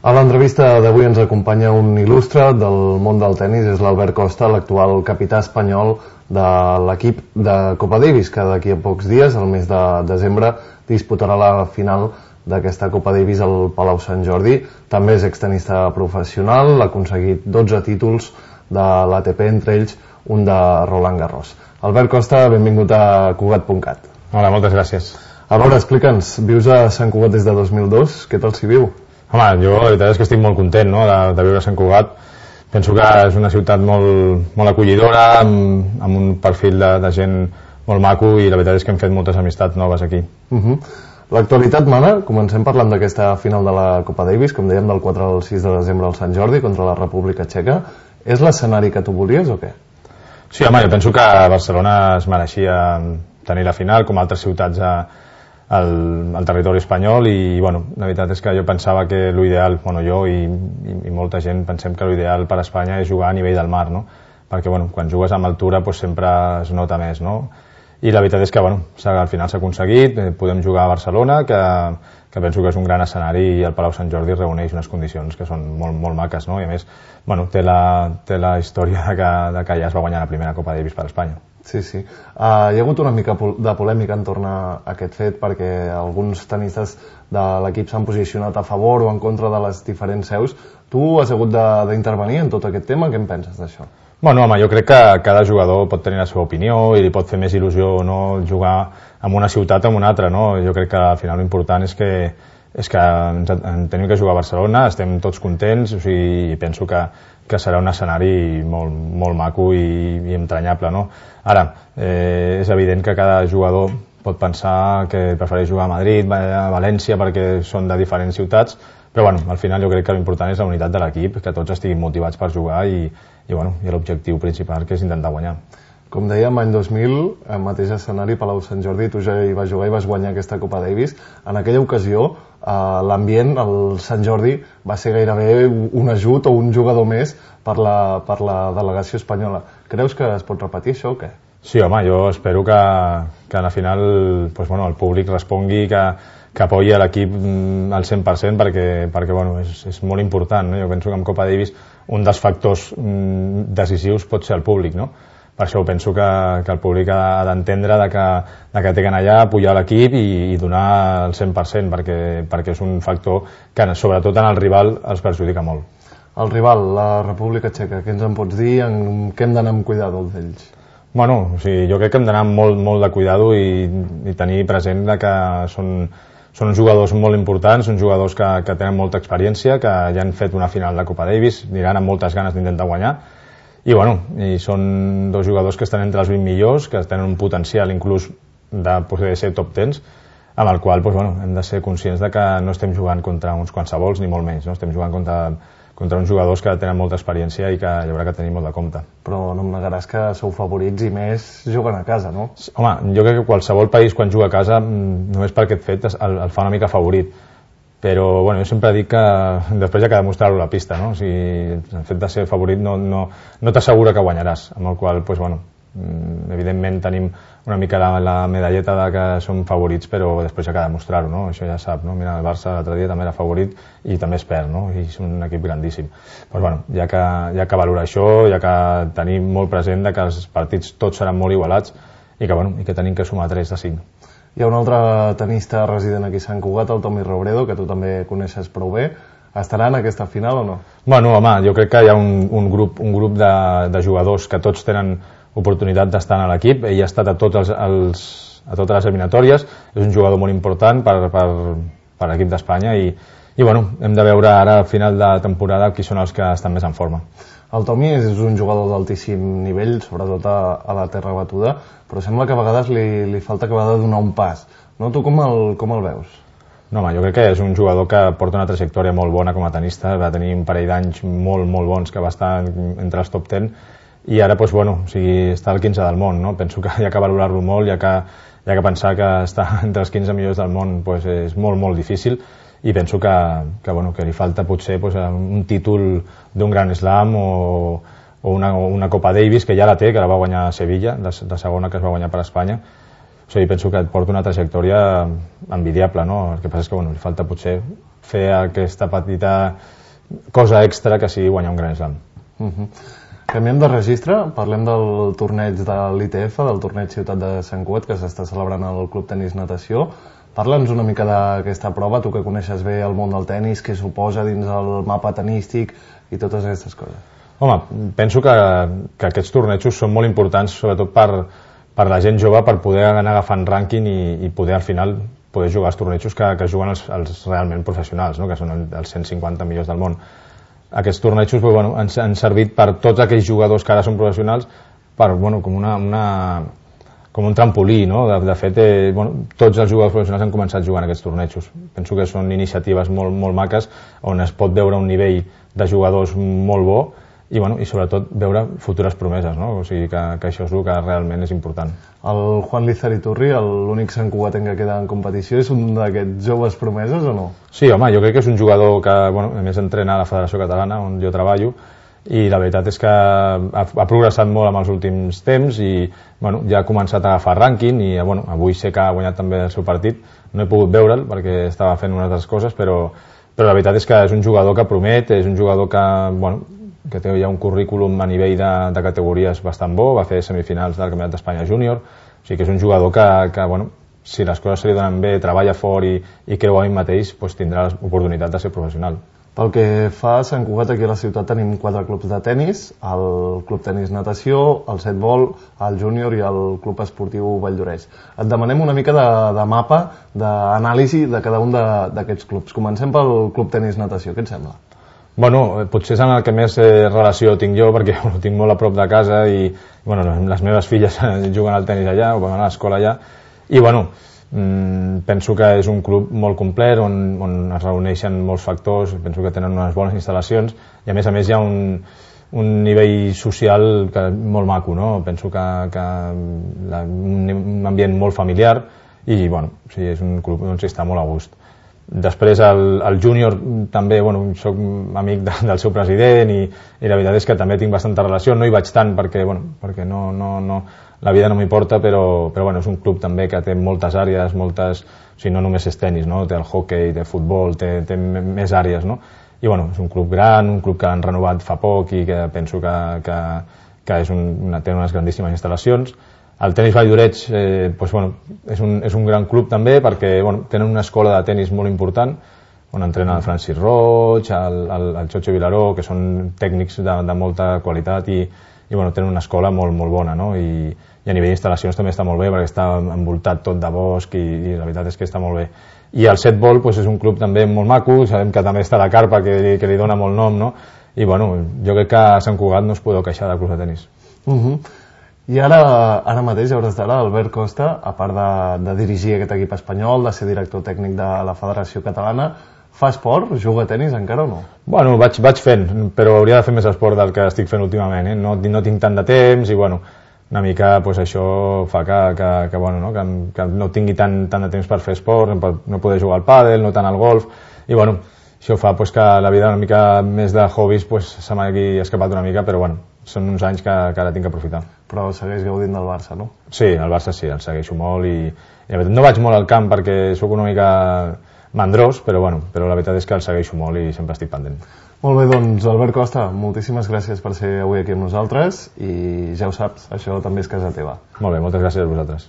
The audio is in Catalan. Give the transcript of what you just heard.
A l'entrevista d'avui ens acompanya un il·lustre del món del tennis, és l'Albert Costa, l'actual capità espanyol de l'equip de Copa Davis, que d'aquí a pocs dies, el mes de desembre, disputarà la final d'aquesta Copa Davis al Palau Sant Jordi. També és extenista professional, ha aconseguit 12 títols de l'ATP, entre ells un de Roland Garros. Albert Costa, benvingut a Cugat.cat. Hola, moltes gràcies. A veure, explica'ns, vius a Sant Cugat des de 2002, què tal s'hi viu? Home, jo la veritat és que estic molt content, no?, de viure a Sant Cugat. Penso que és una ciutat molt acollidora, amb un perfil de gent molt maco, i la veritat és que hem fet moltes amistats noves aquí. L'actualitat mana, comencem parlant d'aquesta final de la Copa Davis, com dèiem, del 4 al 6 de desembre al Sant Jordi contra la República Txeca. És l'escenari que tu volies o què? Sí, home, jo penso que Barcelona es mereixia tenir la final, com altres ciutats al territori espanyol, i bueno, la veritat és que jo pensava que l'ideal, bueno, jo i molta gent pensem que l'ideal per a Espanya és jugar a nivell del mar, no? Perquè bueno, quan jugues amb altura doncs sempre es nota més, no? I la veritat és que bueno, al final s'ha aconseguit, podem jugar a Barcelona, que penso que és un gran escenari, i el Palau Sant Jordi reuneix unes condicions que són molt maques, no? I a més, bueno, té la història de que ja es va guanyar la primera Copa Davis per a Espanya. Sí. Hi ha hagut una mica de polèmica en torn a aquest fet, perquè alguns tenistes de l'equip s'han posicionat a favor o en contra de les diferents seus. Tu has hagut d'intervenir en tot aquest tema, què en penses d'això? Bueno, home, jo crec que cada jugador pot tenir la seva opinió i li pot fer més il·lusió o no jugar en una ciutat o en una altra, no? Jo crec que al final l'important és que tenim que jugar a Barcelona, estem tots contents, o sigui, i penso que serà un escenari molt maco i entranyable, no? Ara, és evident que cada jugador pot pensar que prefereix jugar a Madrid, a València, perquè són de diferents ciutats, però bueno, al final jo crec que l'important és la unitat de l'equip, que tots estiguin motivats per jugar, i l'objectiu principal, que és intentar guanyar. Com dèiem, any 2000, el mateix escenari, Palau Sant Jordi, tu ja hi vas jugar i vas guanyar aquesta Copa Davis. En aquella ocasió, l'ambient al Sant Jordi va ser gairebé un ajut o un jugador més per la delegació espanyola. Creus que es pot repetir això o què? Sí, home, jo espero que a la final el públic respongui, que apoyi l'equip al 100%, perquè bueno, és molt important, no? Jo penso que en Copa Davis un dels factors decisius pot ser el públic, no? Per això penso que el públic ha d'entendre que té que anar allà, apoyar l'equip i donar el 100%, perquè és un factor que sobretot en el rival els perjudica molt. El rival, la República Txeca, què ens en pots dir? En què hem d'anar amb cuidado d'ells? Bueno, o sigui, jo crec que hem d'anar amb molt de cuidado i tenir present que són uns jugadors molt importants, uns jugadors que tenen molta experiència, que ja han fet una final de Copa Davis, aniran amb moltes ganes d'intentar guanyar, i són dos jugadors que estan entre els 20 millors, que tenen un potencial inclús de poder ser top 10, amb el qual hem de ser conscients de que no estem jugant contra uns qualsevols ni molt menys, no? Estem jugant contra uns jugadors que tenen molta experiència i que hi haurà que tenir molt de compte. Però no em negaràs que sou favorits i més jugant a casa, no? Home, jo crec que qualsevol país quan juga a casa, només per aquest fet, el fa una mica favorit. Però jo sempre dic que després hi ha que demostrar-ho a la pista, no? O sigui, el fet de ser favorit no t'assegura que guanyaràs, amb el qual, evidentment tenim una mica la medalleta de que som favorits, però després hi ha que demostrar-ho, no? Això ja sap, no? Mira, el Barça l'altre dia també era favorit i també es perd, no? I és un equip grandíssim. Hi ha que valorar això, hi ha que tenir molt present que els partits tots seran molt igualats i que tenim que sumar 3 de 5. Hi ha un altre tenista resident aquí a Sant Cugat, el Tommy Robredo, que tu també coneixes prou bé. Estarà en aquesta final o no? Bueno, home, jo crec que hi ha un grup de jugadors que tots tenen oportunitat d'estar a l'equip. Ell ha estat a totes les eliminatòries, és un jugador molt important per l'equip d'Espanya i hem de veure ara al final de temporada qui són els que estan més en forma. El Tommy és un jugador d'altíssim nivell, sobretot a la terra batuda, però sembla que a vegades li falta acabar de donar un pas, no? Tu com el veus? No, home, jo crec que és un jugador que porta una trajectòria molt bona com a tenista, va tenir un parell d'anys molt bons que va estar entre els top 10 i ara està al 15 del món, no? Penso que hi ha que valorar-lo molt, hi ha que pensar que estar entre els 15 millors del món és molt difícil, i penso que li falta potser un títol d'un Grand Slam o una Copa Davis, que ja la té, que la va guanyar a Sevilla, la segona que es va guanyar per Espanya. O sigui, penso que porta una trajectòria envidiable, no? El que passa és que li falta potser fer aquesta petita cosa extra que sigui guanyar un Grand Slam. Canviem de registre, parlem del torneig de l'ITF, del torneig Ciutat de Sant Cugat, que s'està celebrant al Club Tenis Natació. Parla'ns una mica d'aquesta prova, tu que coneixes bé el món del tenis, què suposa dins el mapa tenístic i totes aquestes coses. Home, penso que aquests tornejos són molt importants, sobretot per la gent jove, per poder anar agafant rànquing i poder al final poder jugar als tornejos que juguen els realment professionals, no? Que són els 150 millors del món. Aquests tornejos han servit per tots aquells jugadors que ara són professionals com un trampolí, no? De fet, tots els jugadors professionals han començat jugant aquests tornejos. Penso que són iniciatives molt maques on es pot veure un nivell de jugadors molt bo i sobretot veure futures promeses, no? O sigui que això és el que realment és important. El Juan Lizariturri, l'únic santcugatenc que queda en competició, és un d'aquests joves promeses o no? Sí, home, jo crec que és un jugador que a més entrena a la Federació Catalana on jo treballo i la veritat és que ha progressat molt en els últims temps i ja ha començat a agafar rànquing i avui sé que ha guanyat també el seu partit. No he pogut veure'l perquè estava fent unes altres coses, però la veritat és que és un jugador que promet, és un jugador que té ja un currículum a nivell de categories bastant bo, va fer semifinals del Campionat d'Espanya Júnior, o sigui que és un jugador que si les coses se li donen bé, treballa fort i creu en ell mateix, tindrà l'oportunitat de ser professional. Pel que fa a Sant Cugat, aquí a la ciutat tenim 4 clubs de tennis, el Club Tenis Natació, el Setbol, el Júnior i el Club Esportiu Valldoreix. Et demanem una mica de mapa, d'anàlisi de cada un d'aquests clubs. Comencem pel Club Tenis Natació, què et sembla? Potser és en el que més relació tinc jo, perquè ho tinc molt a prop de casa i les meves filles juguen al tenis allà o van a l'escola allà i penso que és un club molt complet on es reuneixen molts factors, penso que tenen unes bones instal·lacions i a més hi ha un nivell social molt maco, no? Penso que un ambient molt familiar i és un club on s'hi està molt a gust. Després el júnior també, soc amic del seu president i la veritat és que també tinc bastanta relació, no hi vaig tant perquè la vida no m'importa, però és un club també que té moltes àrees, o sigui, no només és tenis, no? Té el hockey, té futbol, té més àrees, no? I és un club gran, un club que han renovat fa poc i que penso que té unes grandíssimes instal·lacions. El tenis Valldoreix és un gran club també perquè tenen una escola de tenis molt important on entrena el Francis Roig, el Xocho Vilaró, que són tècnics de molta qualitat i tenen una escola molt bona, no? I a nivell d'instal·lacions també està molt bé perquè està envoltat tot de bosc i la veritat és que està molt bé. I el Setbol és un club també molt maco, sabem que també està la carpa que li dona molt nom, no? I jo crec que a Sant Cugat no es podeu queixar de clubs de tenis. I ara mateix, a hores d'ara, Albert Costa, a part de dirigir aquest equip espanyol, de ser director tècnic de la Federació Catalana, fa esport? Juga a tenis encara o no? Vaig fent, però hauria de fer més esport del que estic fent últimament. No tinc tant de temps i una mica això fa que no tingui tant de temps per fer esport, no poder jugar al pàdel, no tant al golf, i això fa que la vida una mica més de hobbies se m'hagi escapat una mica, però són uns anys que ara tinc que aprofitar. Però segueix gaudint del Barça, no? Sí, el Barça sí, el segueixo molt i no vaig molt al camp perquè sóc una mica mandrós, però la veritat és que el segueixo molt i sempre estic pendent. Molt bé, doncs Albert Costa, moltíssimes gràcies per ser avui aquí amb nosaltres i ja ho saps, això també és casa teva. Molt bé, moltes gràcies a vosaltres.